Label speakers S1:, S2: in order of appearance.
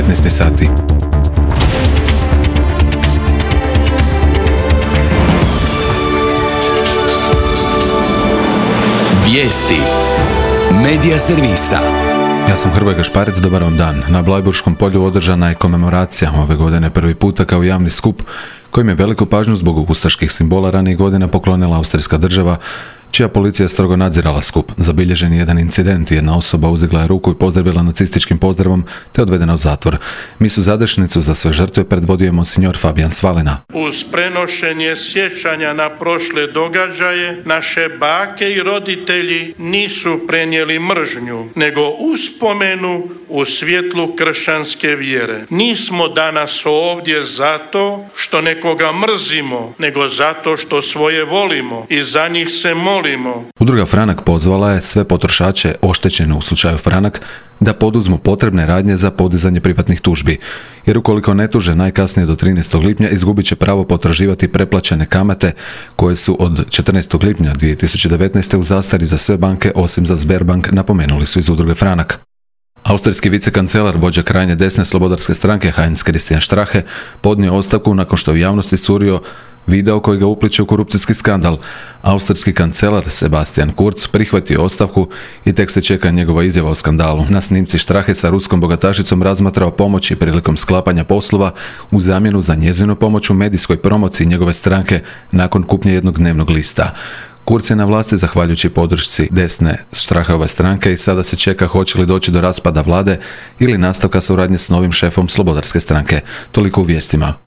S1: 19 sati.
S2: Vijesti Medija servisa.
S1: Ja sam Hrvoje Gašparec, dobar vam dan. Na Blajburškom polju održana je komemoracija ove godine prvi puta kao javni skup kojim je veliku pažnju zbog ustaških simbola ranijih godina poklonila austrijska država, čija policija strogo nadzirala skup. Zabilježen je jedan incident, jedna osoba uzdigla je ruku i pozdravila nacističkim pozdravom te odvedena u zatvor. Misu zadešnicu za sve žrtve predvodio je monsignor Fabijan Svalina.
S3: Uz prenošenje sjećanja na prošle događaje, naše bake i roditelji nisu prenijeli mržnju, nego uspomenu u svjetlu kršćanske vjere. Nismo danas ovdje zato što nekoga mrzimo, nego zato što svoje volimo i za njih se molimo.
S1: Udruga Franak pozvala je sve potrošače oštećene u slučaju Franak da poduzmu potrebne radnje za podizanje privatnih tužbi, jer ukoliko ne tuže najkasnije do 13. lipnja izgubit će pravo potraživati preplaćene kamate koje su od 14. lipnja 2019. u zastari za sve banke osim za Sberbank, napomenuli su iz Udruge Franak. Austrijski vicekancelar, vođa krajnje desne slobodarske stranke Heinz Christian Strache, podnio ostavku nakon što je u javnosti iscurio video koji ga upliče u korupcijski skandal. Austrijski kancelar Sebastian Kurz prihvatio ostavku i tek se čeka njegova izjava o skandalu. Na snimci Strache sa ruskom bogatašicom razmatrao pomoći prilikom sklapanja poslova u zamjenu za njezinu pomoć u medijskoj promociji njegove stranke nakon kupnje jednog dnevnog lista. Kurz je na vlasti zahvaljujući podršci desne Strachove stranke i sada se čeka hoće li doći do raspada vlade ili nastavka suradnje s novim šefom slobodarske stranke. Toliko u vijestima.